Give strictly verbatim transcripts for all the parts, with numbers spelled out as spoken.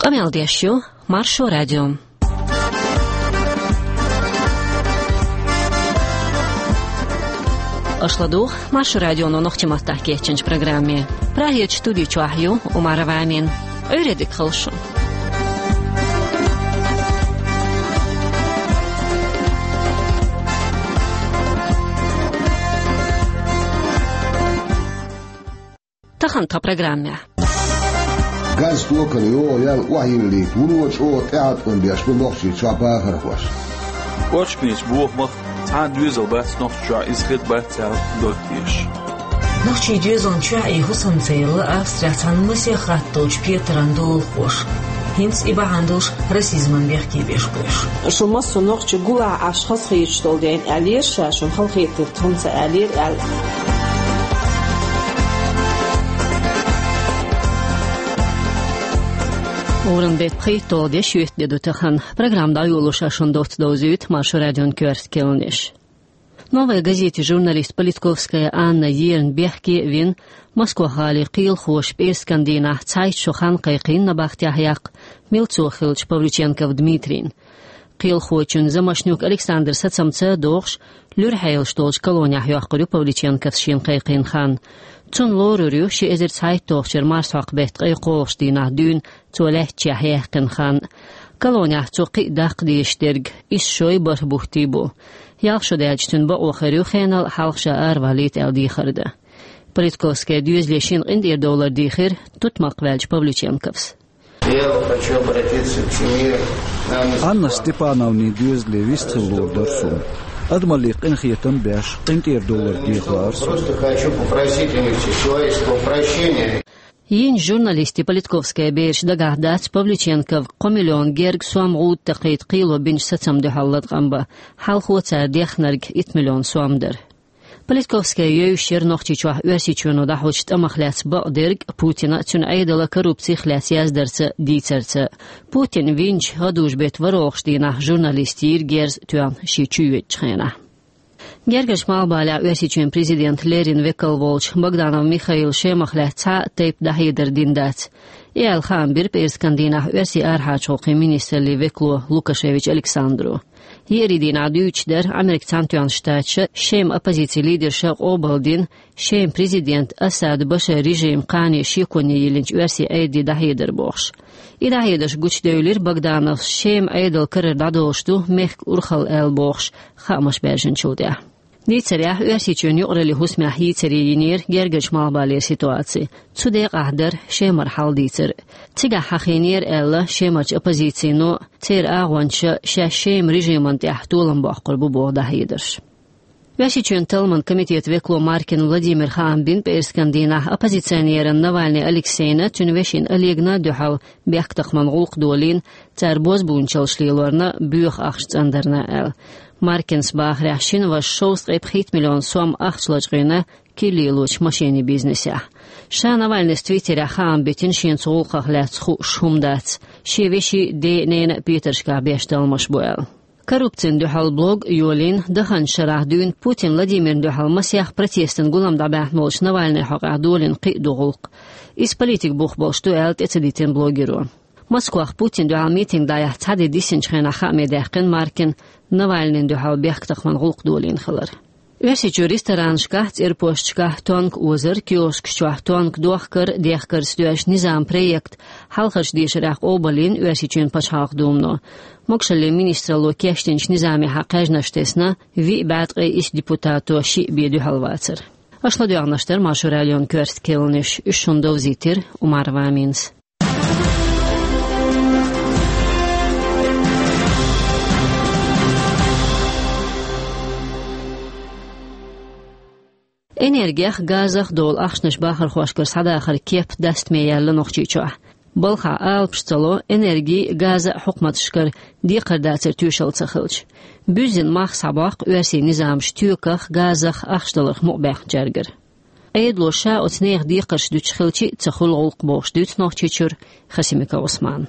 Къамел деш ю Маршо радио. Аша ладугӀу Маршо радионо нохчийн маттахь кечйинчу программе. Прагерчу студи чохь ю Умарова Амина. Ӏуьйре дика хуьлда шун. Тахана тхан программехь. Газ, токана йогӀу ял охьайиллийта вуно чӀогӀа тӀеӀаткъам беш бу Нохчийчохь бахархоша. Кочканийн бохамах цхьа а доьзал бац Нохчийчохь, иза хир бац аьлла, доттуьйтуш. Нохчийн доьзална чохь и хӀусам ца елла Австрехь цхьана масех хатта долчу петаран долахоша. ХӀинца и бахьана долуш расизман бехке беш бу уьш. Шу массо а нохча гулахь Ӏаш хазахеташ долу дела аьллера ша, шуна халахетар тхуна ца аьллера аьлла. Уран беттан пхийтталгӀа де, шоьтан де ду тахана. Программа дӀайолош шуна доцца довзуьйту Маршо радион коьрта кхаьънаш. «Новая газетин» журналист Политковская Анна ерна бехке а вина, Москох-гӀалин кхелахоша пӀераскан дийнахь цхьайтта шо хан кхайкхийна набахтехь яккха милцо хиллачу Павлюченков Дмитрийна. Кхелахочун Замошнюк Александра сацамца а догӀуш, луьра хьелаш долчу колонехь йоккхур ю Павлюченковс шена кхайкхийна хан. Цунна лорур ю ши эзар цхьайтталгӀачу шеран марсхьокху беттан ткъе кхоалгӀачу дийнахь дуьйна цо лаьттачохь яьккхина хан. Колонехь цо кхин а даккха дезаш дерг исс шой бархӀ бутт бу. Ялх шо даьлча цуьнан бакъо хир ю хенал хьалха ша аравалийта аьлла дехар дан. Политковская доьзале шена къинтӀера довлар дийхира тутмакх ваьллачу Павлюченковс. Я хочу обратиться к семье Анны Анна Степановны. Степановнин доьзале вистхила лур дара суна. Адамалле къинхетам беш, къинтӀера довлар деха лаьара суна. Просто хочу попросить у них человеческого прощения. Йина журналистийн Политковская бераш дагахь дац Павлюченков кхо миллион герга сом гӀуда такхийта кхело бинчу сацамна дуьхьал латкъам бан. Хьалхо цара дехнарг итт миллион сом дара. Политковская евзаш яра Нохчийчохь Оьрсийчоьно дӀахьочу тӀамах лаьцна бакъдерг а, Путина а, цуьнан Ӏедалан коррупцих лаьцна яздарца а, дийцарца а. Путин винчу гӀадужу-беттан ворхӀалгӀачу дийнахь журналисташ йийра герз а тоьхна шен чу йоьдучу хенахь. Гергарчу Малхбалехь Оьрсийчоьнан президентан леррина векал волчу Богданов Михаила Шемах лаьцна цхьа а тайпа дӀахьедар дина дац. И аьлла хаам бира пӀераскан дийнахь Оьрсийн арахьарчу гӀуллакхийн министраллин векало Лукашевич Александро. Еарин дийнахь дуьйцуш дара Американ Цхьаьнатоьхначу Штаташа Шеман оппозицин лидерша къобалдина Шеман президентан Асад Башаран режиман кхане шеконе йиллинчу оьрсийн Ӏедале дӀахьедар бохуш. И дӀахьедарш гучудевлира Богдановс Шеман Ӏедалан карара дӀадолуш ду мехкан урхалла аьлла бохуш, хаамаш баьржинчул тӀаьхьа. Дийцарехь, Оьрсийчоьнан юкъараллин хӀусамехь йийцаре йинера Гергарчу Малхбалера ситуаци. Цу декъахь дара Шемара хьал дийцар. Цигахь хьахийнера аьлла Шемарчу оппозицино, церан агӀончаша шаьш Шеман режимана тӀехь толам боккхур бу боху дӀахьедарш. Оьрсийчоьнан талламан комитетан векало Маркин Владимира хаам бина пӀераскан дийнахь оппозиционерна Навальный Алексейна, цуьнан вешина Олегна а дуьхьал бехктакхаман гӀуллакх долийна, цара бозбуунчаллаш лелорна, боьха ахча цӀандарна аьлла. Маркинс бахарехь, шина вашас шовзткъе пхийтта миллион сом ахча лачкъийна кил лелочу машенийн бизнесехь. Ша Навальныйс Твиттерехь хаам битина шена цу гӀуллакхах лаьцна хууш хӀума дац, шен вешин а, ден а, ненан а петаршкахь беш талламаш бу аьлла. Коррупцина дуьхьал блог а йолийна, даханчу шарахь дуьйна Путин Владимирна дуьхьал масех протестан гулам дӀабаьхна волчу Навальныйн хьокъехь долийна кхин а ду гӀуллакх. Иза политикан бух болуш ду аьлла тӀе ца дитина блогеро. Москвахь Путинна дуьхьал митинг дӀаяхьа цхьа де диссинчу хенахь хааме даьккхина Маркина Навальныйна дуьхьал бехктакхаман гӀуллакх долийна хилар. Оьрсийчоьнан ресторанашкахь, цӀерпошкашкахь тонка озар, киоскаш чохь тонка дохкар, дехкарца доьжна низаман проект хьалхарчу дешарехь къобалйина Оьрсийчоьнан Пачхьалкхан Думано. Могушаллин министралло кечдинчу низамехь кхаьжнаш тесна, виъ бӀе ткъе исс депутато шиъ бен дуьхьал вацара. Аша ладоьгӀнарш дара Маршо радион коьрта кхаьънаш, уьш шуна довзийтира Умарова Аминас. Энергех, газах долу ахчанаш бахархошкара схьадахаран кеп дастаме яьлла Нохчийчохь. Балхахь алапаш ца ло, энергин а, газан а хьукматашкара декхар дацар тоьшалла ца хилча. Буьззина мах схьабоккху оьрсийн низамаша тоьках, газах ахча даларх мукъабаьхначаьргара. Ӏедало ша оцу нехан декхарш дуьтуш хилча а ца хуьлу гӀуллакх бохуш дуьйцу Нохчийчуьра Хасимиков Ӏусмана.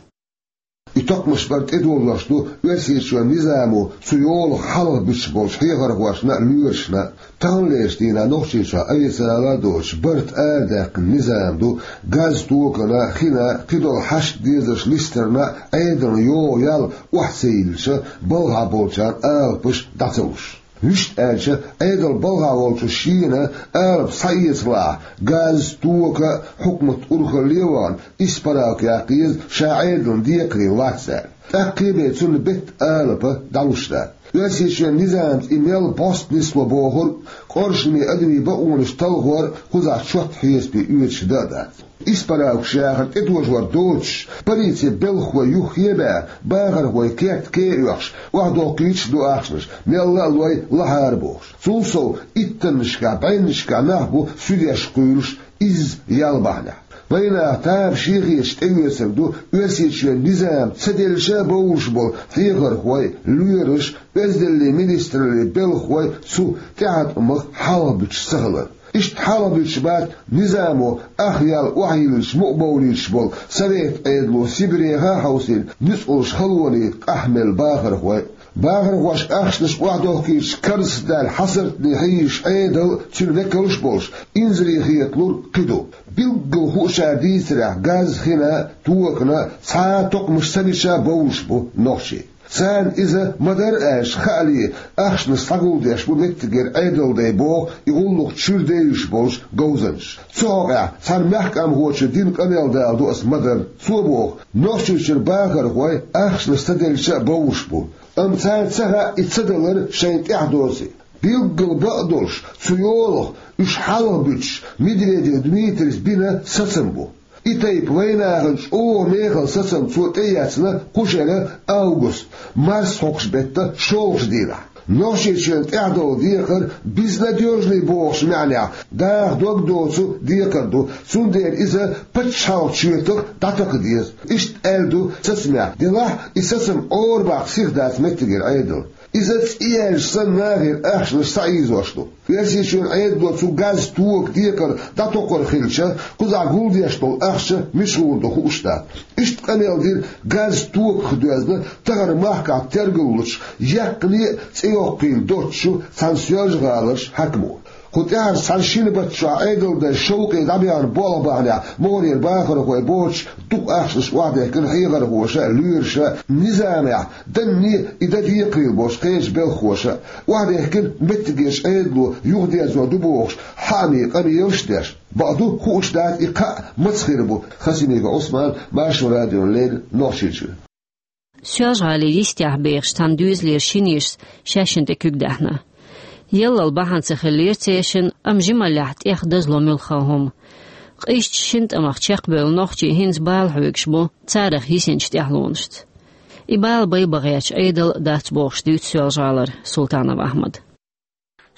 И токхамаш бара тӀедожош ду Оьрсийчоьнан низамо цу йолах хьалха буьтуш болчу хьехархошна а, лоьрашна а. Таханлерчу дийнахь Нохчийчохь официалан а доцуш барт арадаьккхина низам ду, газ, токана, хина, кхидолу хьашт-дезарш листарна а, Ӏедална йогӀу ял охьа ца йиллича, балхахь болчарна алапаш дӀа ца луш. Вуьшта аьлча, Ӏедал балхахь волчу шена алапа схьаэцалахь, газ, тока, хьукмат урхалле а вахана, исправка яккха еза, ша Ӏедална декхарийлахь аьлла. ТӀаккха кхебе цунна беттан алапа дӀалуш дац. Оьрсийчоьнан низамца и мел бӀоста нисло бохург, къоршаме адамийн бакъонаш талхор а кхузахь чот хьесапе оьцуш дан а дац. Исправкаш яхар тӀетожор доцуш, полицин белхахой юххе а баьхна, бахархойн керт ке а оьхуш, охьадоккхуьйтуш а ду ахчанаш, мелла а лой лахьара бохуш. Цул сов иттаннашкахь, бӀеннашкахь нах бу суьдеш кхуьйлуш, изза ял бахьанехь. Вайнаха тамашийна хеташ тӀеоьцург ду Оьрсийчоьнан низам ца делча а бовлуш болу хьехархой, лоьраш, Оьздангаллин министраллин белхахой цу тӀеӀаткъамах хьалха буьтуш ца хилар. Иштта хьалха буьтуш бац низамо ах ял охьайиллича мукъабовлуьйтуш болу Совет Ӏедало Сибреха а хьовсийна нуьцкъалш халонийн къахьмелла бахархой а. Бахархошка ахчанаш охьадохкуьйтуш карзахдаьлла хьасартане хьийзаш Ӏедал а, цуьнан векалш а болуш, инзаре хеталур кхин ду. Билггал хуучара дийцарехь, газ, хина, токана цхьа а токхамаш ца бича а бовлуш бу нохчий. Царна иза ма-дарра аьлча, хаале, ахчанаш схьагулдеш бу меттигера Ӏедалдайн боху и гӀуллакх чуьра девзаш болчу говзанчаша. Цу хьокъехь цхьана мехкамхочо дина къамел даладо аса ма-дарра. Цо боху, Нохчийчуьра бахархой ахчанаш ца делча а бовлуш бу. Амма царна ца хаьа и ца далар шайна тӀехь доций. Билггал бакъдолуш, цу йолах уьш хьалха буьтуш Медведев Дмитрийс бина сацам бу. И тайпа вайнахана чӀогӀа мехала сацам цо тӀеэцна кху шеран август, марсхьокху беттан шолгӀачу дийнахь. Нохчийчоьнна тӀехь долу декхар безнадёжный бохучу маьӀнехь, даха дог доцу декхар ду, цундела иза пачхьалкхан чоьтах дӀатакха деза. Иштта аьлла ду сацамехь, делахь а и сацам Ӏорабаккха сиха дац меттигера Ӏедал. Иза цӀе яьлча санна нахера ахчанаш схьаийзош ду. Оьрсийчоьнан Ӏедало цу газ, тока, декхар дӀатокхур хилча, кхузахь гулдеш долу ахча мичахь гӀур ду хууш дац. Иштта къамел дира газ, токах доьзна тахана махкахь тергаллучу, яьккхине а цӀе йоккхийла доцучу цхьана Соьлжа-ГӀаларчу хьаькамо. Кху тӀаьхьарчу цхьана шина баттахь Ӏедалдайн шовкъе дӀабаьхна болх бахьанехь, мухӀарера бахархой боцуш, дукха ахчанаш охьадехкина хьехархоша а, лоьраша а, низамехь данне а, и дан декхарийлахь болчу кхечу белхахоша а. Охьадехкина меттигерчу Ӏедало юхадерзор ду бохуш, хьаамийн къамелаш а деш. Бакъду, хууш дац и кхаъ маца хир бу. Хасимиков Ӏусман, Маршо радиона леррина, Нохчийчуьра. Соьлжа-ГӀалин йистехь бехаш цхьана доьзалера шина йишас шаьшшинна тӀе куьг даьхьна. Яллал бахьана ца хиллера церан, амма жималлехь тӀех дазло муьлхха хӀума. Къизачу шина тӀамах чекхбевлла нохчий хӀинца бала хьоьгуш бу царах йисинчу тӀаьхьалонашца. И бала байбан гӀерташ Ӏедал а дац бохуш дуьйцу Соьлжа-ГӀалара Султанов Ахьмада.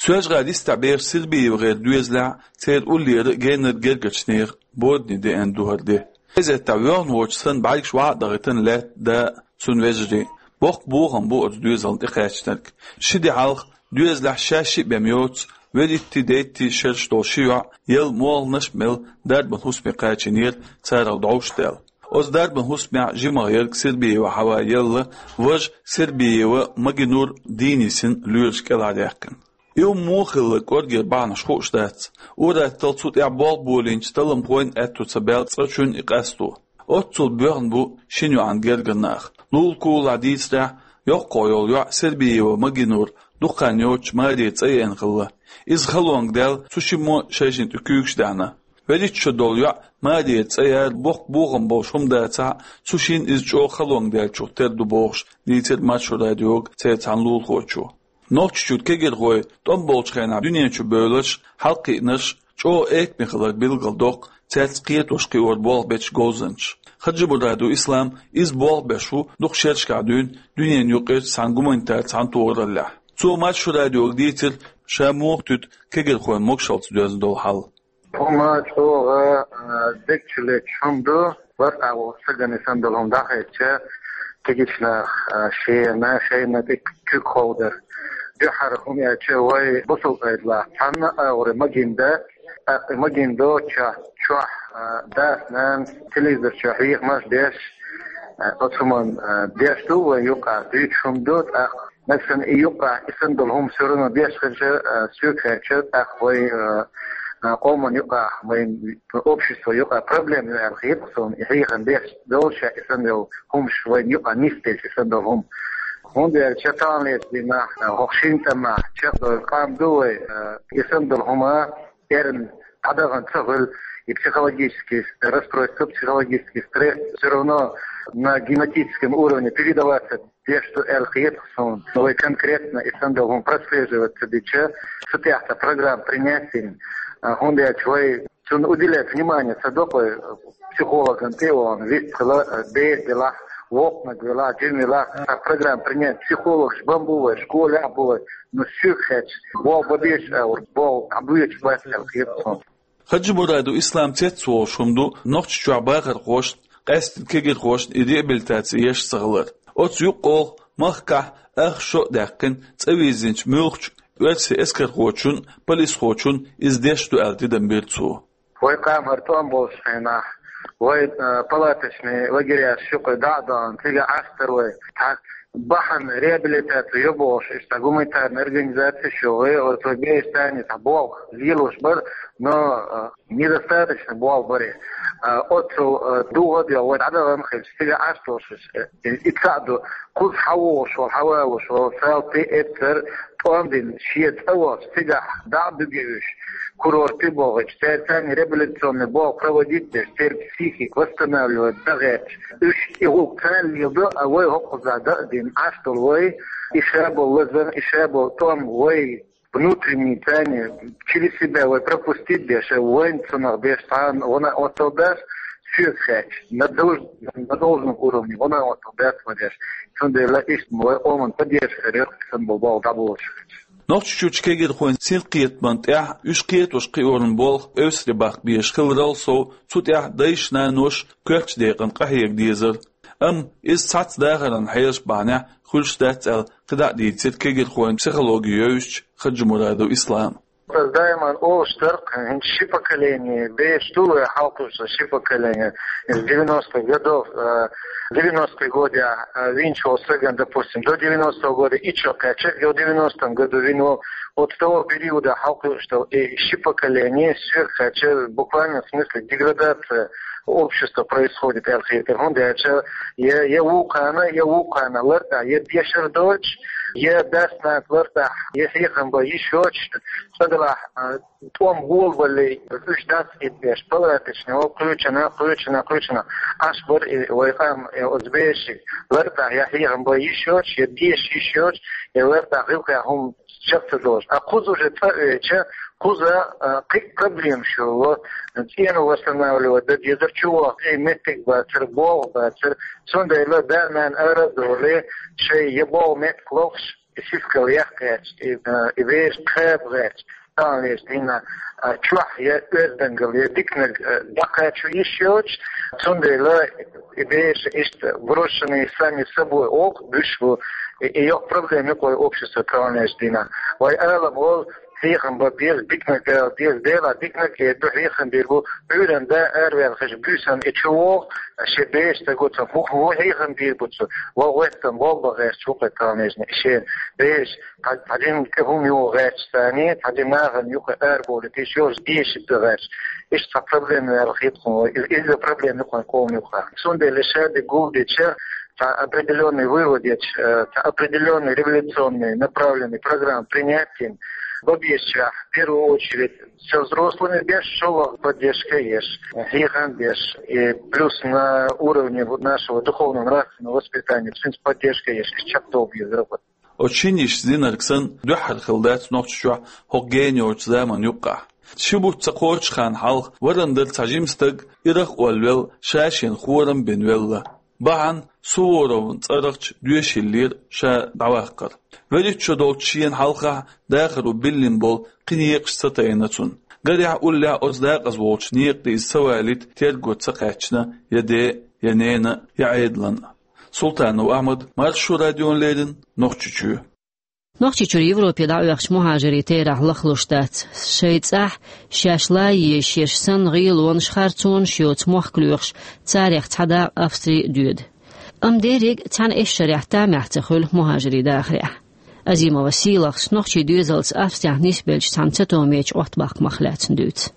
Соьлжа-ГӀалин йистехь бехаш Сербиева гӀеран доьзалехь а, церан уллера а генара гергарчу нехан бордане деана ду хӀара де. Эзеттахь воьхна воцуш санна, бӀаьргаш вӀа а дахийтина, лаьтта, да а, цуьнан вежарий а. Боккха бохам бу оцу доьзална тӀекхаьчнарг. Ши де хьалха доьзалехь шаьш шиъ бен йоцу, велиттий, дейттий шераш долу ши йоӀ, ял молханаш а мелла, дарбан хӀусаме кхачийнера царах дӀовш а даьлла. Оцу дарбан хӀусамехь жимах ерг Сербиева Хьава ялла, важа Сербиева Магинур дийна йисина лоьраша кӀелхьардаьккхина. И хӀума муха хилла кӀоргера бахьанаш хууш дац. Ур-атталла цу тӀехь болх болийначу талламхойн аьтто ца баьлла цкъачунна и къасто. Оццул боьхна бу шина йоӀан гергара нах. Лулахь-кулалахь дийцарехь, йоккхах йолу йоӀ Сербиева Магинур дукха хан йоццуш маре цӀа еана хилла. Иза халонга даьлла, цу шиммо шайшинна тӀе куьйгаш даьхьна. Велитта шо долу йоӀ маре цӀа яра, боккха бохам болуш хӀума дацахь а, цу шинна иза чӀогӀа халонга даьллачух тера ду бохуш, дийцира Маршо радиога церан цхьана лулахочо. Нохчийчуьра кегирхой тӀом болчу хенахь дуьнен чу бевлларш, хьалакхиънарш чӀогӀа экаме хилар билгалдоккху цаьрца кхетош-кхиор болх бечу говзанчаша. Хаджимурадов Ислам иза болх беш ву дукха шерашкахь дуьйна дуьненан юкъерчу цхьана гуманитар цхьаьнатохараллехь. Цо Маршо радиога дийцира ша муха туьту кегирхойн могушаллица доьзна долу хьал. ХӀума чӀогӀа, а, дегчу летташ хӀума ду, вархӀ агӀор сагана санна долу хӀума дӀахаьчча, кегийчу наха, а, шена, шайна тӀе куьг ховдар. Дуьххьара хӀума аьлча, вай бусалба Ӏедалахь цхьана агӀор магийна дан, тӀаккха магийна доцучохь чохь, а, дас-нанас телевизор чохь хьехамаш а деш, Оцу хӀуманна деш ду вай юкъахь, дуьйцуш хӀума ду, тӀаккха нагахь санна и юкъахь, и санна долу хӀума всё равно деш хилча, соьга хаьттича, тӀаккха вай къоман юкъахь, вайн общество юкъахь проблема ю аьлла хета суна, и хьехам беш долуш, и санна долу хӀумаш вайн юкъахь нисделча, и санна долу хӀума. ХӀунда аьлча таханлерчу дийнахь хӀокху шина тӀамехь чекхдолу къам ду вай, и санна долу хӀума эрна дӀадахана ца хуьлу, и психологический расстройство, психологический стресс всё равно на генетическом уровне передаваться деш ду аьлла хета суна. Вай конкретно и санна долу хӀума прослеживать ца дича, цу тӀехь цхьа программа принять дина, хӀунда аьлча вай цунна уделять внимание ца до вай, психологан тӀе а вахана, вистхила, бер делахь, воккханиг велахь, жима велахь, цхьа программа принять, психологаш бан бу вай, школехь бу вай, но соьга хаьттича, болх бан безаш а, ур болх дӀабоьдуш бац аьлла хета суна. Хаджимурадов Ислам цецволуш хӀума ду Нохчийчохь бахархошна, къаьсттина кегирхошна и реабилитаци еш ца хилар. Оцу юккъехула махкахь ах шо а даьккхина, цӀа вирзинчу муьлххачу оьрсийн эскархочун а, полисхочун а иза деш ду аьлла тидам бира цо. Вай къам хӀара тӀом болчу хенахь, вай палаточный лагереш юкъа дӀа а дахана, цигахь Ӏаш дара вай. Цхьа бахьана реабилитаци йо бохуш, иштта гуманитарная организация ю, вай оцу бешан цхьа болх лелош бара, но недостаточно болх бара. Оццул дугӀа а доьгӀна, вай дӀадахана хилча, цигахь Ӏаш долуш, и цхьаъ ду, кхуза хьан вогӀуш волу, хьан валуш волу, салти, эццара тӀом дина, шен цӀа волчу цигахь дӀа а буьгу уьш, курорте а бохуьйтуш, цаьрца реабилитационный болх проводить деш, церан психика восстанавливать дан гӀерташ, уьш и гӀуллакх царна леладо, а вай хӀокхузахь дан а дина, Ӏаш долу вай, и ша болу лазар, и ша болу тӀом вай внутренний царна через себя вай пропустить деш, вайна цунах беш цхьа а гӀо а оццул дац, соьга хаьттича, на долж-, на должном уровне гӀо а оццул дац вай деш. Цундела иштта вай къоман поддержка хир ю, сан болу болх дӀаболуш хилча. Нохчийчуьрчу кегирхойн синкхетаман тӀехь уьш кхетош кхиоран болх эвсаре баккха безаш хиларал сов, цу тӀехь дайша-наноша коьртачу декъана къахьега дезара. Амма иза цхьацца дахаран хьелаш бахьанехь хуьлуш дац аьлла, кхидӀа а дийцира кегирхойн психологи йовзачу Хаджимурадов Ислама. Ас даиман олуш дара, хӀинца ши поколение, беш ду вай хьалкхуьуш ши поколение, из девяностых годов, э, девяностые годы, э, винчу стагана, допустим, до девяностого года и чё, кхаьча, до девяностом году вин вол, вот с того периода хьалкхуьуш долу и ши поколение, соьга хаьттича, буквально в смысле деградация общества происходит, аьлла хета. ХӀунда аьлча я, я вукхана, я вукхана лартӀахь, я дешар доцуш, я дас-нанас лартӀахь, я хьехам бан йиш йоцуш, цкъа делахь, а, тӀом болабаллий, уьш дас а деш, палаточни, о, кхечанхьа, кхечанхьа, кхечанхьа. Аш бара и вай къам, э, оцу бешига лартӀахь, я хьехам бан йиш йоцуш, я деша йиш йоцуш, я лартӀахь гӀиллакхехь хӀума чекх ца долуш. А кхуза уже цӀа оьцуш, кхуза, а, кхин а проблемаш йолу, цӀена восстанавливать дан дезара, чувахча, и меттиг бацара, болх бацара. Цундела да-нана ара а долий, шайн я болу меттиг лохуш, и сискал яккха гӀерташ, и, а, и бераш кхаба гӀерташ, таханлерчу дийнахь, а, чохь я оьздангалла, я диканиг, а, дӀакхачо йиш йоцуш, цундела и бераш иштта брошенные сами собой, оха буьсуш бу, и, и йоккха проблема ю-кх вай общество таханлерчу дийнахь. Вай алам волу, хьехам бан беза, диканиг ала деза, Делахь диканиг а ду, хьехам бийр бу, Ӏуьйранна да араваьлла хезча, буьйсанна и чу вогӀу, шен бераш ца гуцам, хӀун, хӀун хьехам бийр бу цо, ван гӀоьттина болх бан гӀерташ ву-кх таханлерчу дийнахь, и шен бераш цхьа, цхьа жимма тӀе хӀума юха гӀерташ царний, цхьа жимма нахана юха арабовлийта йиш йолуш, деша дан гӀерташ. Иштта цхьа проблема ю аьлла хета хьуна, иза, иза проблема ю-кх вайн къоман юкъахь. Цундела ша дерг гулдича, цхьа определённый вывод еча, э, цхьа определённый революционный направленный программа принять йина, бан безачех, в первую очередь, со взрослыми беш, шолгӀа поддержка еш, хьехам беш, и плюс на уровне вот нашего духовно-нравственного воспитания, в принципе, поддержка еш, чекхдолу беза робот. Оцу шина йиша зинарг санна, дуьххьара хилла дац Нохчийчохь хӀокху гена йолчу заманан юккъехь. Ши бутт ца кхочу ханна хьалха варан дара цхьа жима стаг, ирах а олвелла, ша-шена хорам а бина велла. Бахьана Суворовн цӀарахчу доьшийллера ша дӀаваккхар. Веллачу шо долчу шена хьалхахь дахаро биллина болу кхин некъаш ца тайна цунна. Гарехь, уллехь оцу дакъаза волчу некъа тӀе иза ца валийта терго ца кхаьчна я ден, я ненан, я Ӏедалан. Султанов Ахьмад, Маршо радиона леррина, Нохчийчоь. Нохчийчуьра Европе дӀаоьхучу мухӀажирийн терахь лахлуш дац. Шайн цӀахь шаьш лан езаш санна гӀелонаш, харцонаш йоцу мохк лоьхуш, царех цхьа дакъа Австри а доьду. Амма деррига цхьана эшшарехь тамехь ца хуьлу мухӀажирийн дахарехь. Азимова Сийлахас нохчийн доьзалца Австрехь нисбеллачу цхьана цатоьмечу Ӏоттабаккхамах лаьцна дуьйцу.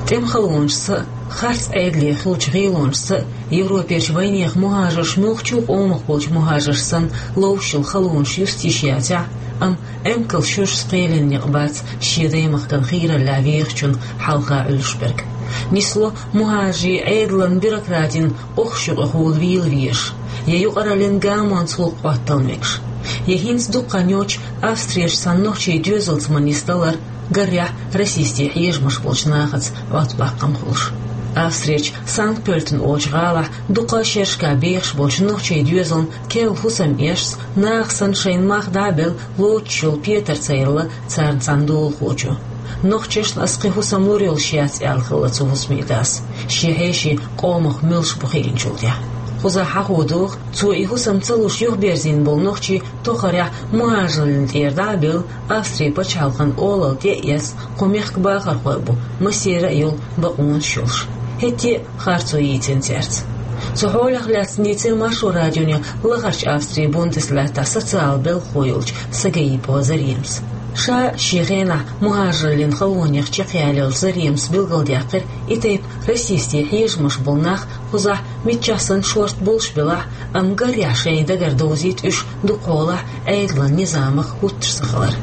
ТӀеман халонашца а, харц Ӏедале хиллачу гӀелонашца а Европерчу вайнехан мухӀажарш муьлххачу къомах болчу мухӀажарш санна ловш йолу халонаш юста йиш яцахь, амма эмкалан шуьрсаца кхелина некъ бац шен даймахкана хийраллехь вехачунна хьалха Ӏуьллуш берг. Нисло мухӀажарийн Ӏедалан бюрократин къохчу юкъахула вийла везаш, я юкъараллин гамонца гӀуллакх хӀоттал мегаш, я хӀинца дукха хан йоцуш Австрерчу цхьана нохчийн доьзалца ма нисдалар, гарехь, расистийн хьежамаш болчу нахаца Ӏоттабаккхам хуьлуш. Австрерчу Санкт-Пёльтен олучу гӀалахь дукха шерашкахь бехаш болчу нохчийн доьзална керла хӀусам эшна, наха санна шайна мах дӀа а белла лоцуш йолу Петар цӀе елла царна цхьана долахочо. Нохчашна ас кхин хӀусам лур йолуш яц аьлла хилла цу хӀусамийн дас, шен хьеший къомах муьлш бу хиъначул тӀаьхьа. Кхузахь хьахо доху, цо и хӀусам ца луш юхаберзийна болу нохчий тохарехь мухӀажарлин тӀера дӀа а бевлла, Австрин пачхьалкхан олалла тӀе а эцна, кху мехкан бахархой бу, массеран а йолу бакъонаш йолуш. ХӀетте а харцо йийцина цаьрца. Цу хьолах лаьцна дийцира Маршо радионе лахарчу Австрин Бундеслаьттахь социалан белхахо йолчу Сагаипова Заремас. Ша шен хенахь мухӀажарлин халонех чекхъяллалц Заремас билгалдаьккхира и тайпа расистийн хьежамаш болу нах кхузахь миччахь санна шорта болуш белахь а, амма гарехь шайна дагара довзийта уьш дукхахьолахь Ӏедалан низамах хӀуттуш ца хилар.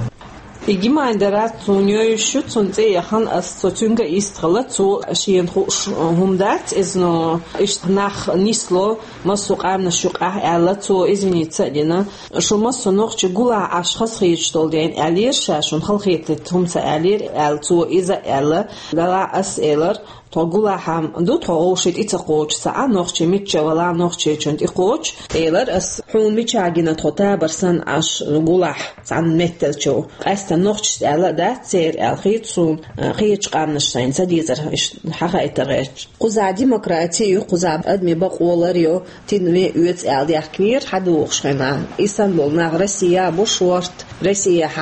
И Гимайнда Рат цунна йойуш ю, цунна цӀе яхана ас, цо цуьнга а йистхилла, цо шена хууш хӀума дац иза, но иштта нах нисло массо а къаьмнаш юкъахь аьлла, цо извиниться а дина. Шу массо а нохчий гулахь Ӏаш хаза хеташ долу дела аьллера ша, шуна халахетийта хӀума ца аьллера аьлла, цо иза а аьлла. Делахь ас элира, тхо гулахь ду, тхо вовшийн тӀе ца кхочу, ца Ӏа нохчий мичча вала нохчичунна тӀе кхочу, элира ас, хьуна мичахь гина тхо табар санна Ӏаш гулахь цхьана метталчу. Къаьстина нохчашца аьлла а дац церан аьлла хета суна, кхечу къаьмнаш сайна ца дезара, иштта хьахайтар гӀерташ. Кхузахь демократи ю, кхузахь адамийн бакъо лар ю, тидаме оьцу аьлла даьхкинера хьадогӀуш хенахь. И санна болу нах Россия бу шорта, Россияхь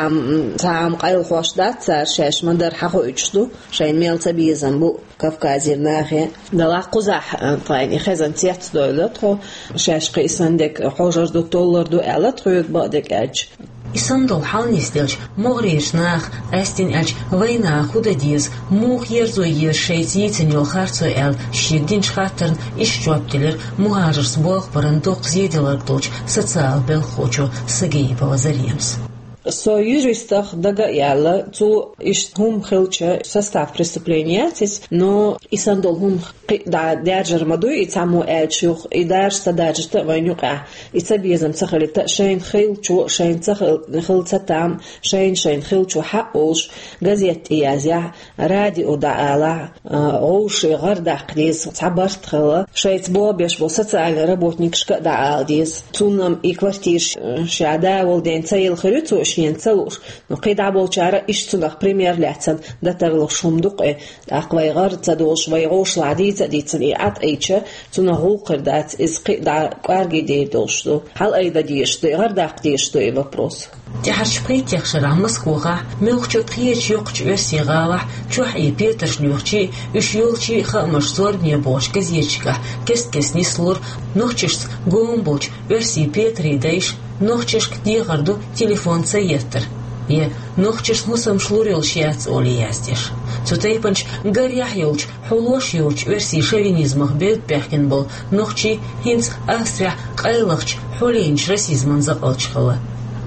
цхьа а къайлахош дац цара, шаьш ма-дарра хьахоуьйтуш ду, шайна мел цабезам бу Кавказера нахе. Делахь кхузахь тхайна хезна цецдойла тхо, шаьш кхин и санна дерг хьожар ду, толлар ду аьлла тхоьга бакъдерг аьлча. И санна долу хьал нисделча, могӀарерчу наха, къаьстина аьлча, вайнаха хӀун дан деза, муха ерзо еза шайца йийцина йолу харцо аьлла, шега динчу хаттарна иштта жоп делира мухӀажаршца болх баран доккха зеделларг долчу социалан белхахочо Сагаипова Заремас. Со юристах дага а яьлла, цо иштта хӀума хилча, состав преступления яц иза, но и санна долу хӀума кхин а дӀа даьржар ма дуй, и цхьаммо аьлча юха, и даржа ца даржийта а вайна юкъахь, и цабезам ца хилийта а, шайна хиллачо, шайна ца хил-, хилла ца там, шайна-шайна хиллачо хьаъ олуш, газет тӀе язъяхь, радио дӀаалахь, а, вовшийн гӀар даккха деза, цхьа барт хилла, шайца болх беш болу социальный работникашка а дӀаала деза. Цунна-м и квартира ш-, ша да волу ден ца елла хир ю, цо шена ца лууш, но кхин дӀа болчара иштта цунах пример лаьцна дан тарлуш хӀума ду-кх и. ТӀаккха вай гӀар ца долуш, вай гӀовшалахь дийца а дийцина, и Ӏад Ӏийча, цунах гӀуллакх хир дац, иза кхин а дӀа кӀорге дер долуш ду. Хьала-айдан дезаш ду и, гӀар даккха дезаш ду и вопрос. ТӀаьхьарчу пхийтта шарахь Москвахь, муьлххачу кхечу йоккхачу оьрсийн гӀалахь чохь и петарш лоьхучий, уьш йолчий хаамаш зорбане бохучу газеташкахь кест-кеста нислора нохчашца гома болчу оьрсийн петарийн дайша нохчашка дехар ду телефон ца еттар, я нохчашна хӀусамаш лур йолуш яц олий яздеш. Цу тайпанчу гарехь йолчу, хьулош йоцучу оьрсийн шовинизмах бевдда баьхкина болу нохчий хӀинца Австрехь къайлахчу, хьулийначу расизман закъалчу хилла.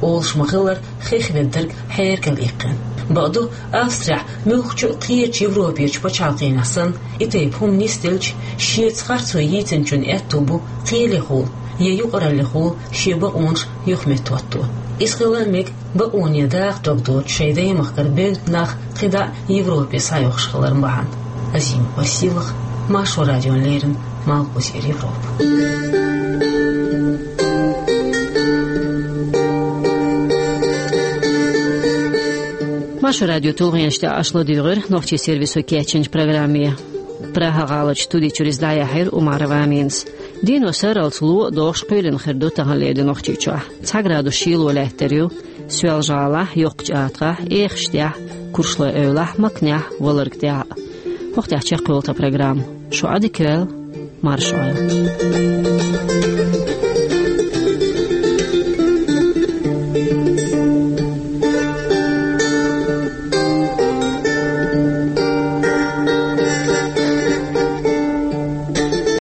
Олуш ма-хиллара, хих веддарг хьеркал иккхина. Бакъду, Австрехь муьлххачу а кхечу Европерчу пачхьалкхенахь санна, и тайпа хӀума нисделча, шеца харцо йийцинчун аьтто бу кхелехула я юкъараллехула шен бакъонаш юхаметтахӀотто. Иза хила а мега, бакъоне даха дог доцуш шайн даймахкара бевдда нах кхидӀа а Европе схьайохуш хилар бахьана. Азимова Сийлаха, Маршо радиона леррина, Малхбузера Европа. Маршо радион тулгӀенаш тӀехь аша ладуьйгӀира нохчийн сервисо кечйинчу программе. Прага-гӀаларчу студи чуьра иза дӀаяьхьира Умарова Аминас. Дийно сарралц ло а дохуш кхоьлина хир ду таханлера ди Нохчийчохь. Цхьа градус шело лаьттар ю Соьлжа-ГӀалахь, Йоккхачу АтагӀахь, Эхаштехь, Куршлой-Эвлахь, Макнехь, Валаргтехь. ХӀокху тӀехь чекхйолу тхан программа. Шу Ӏа дика йойла. Маршалла.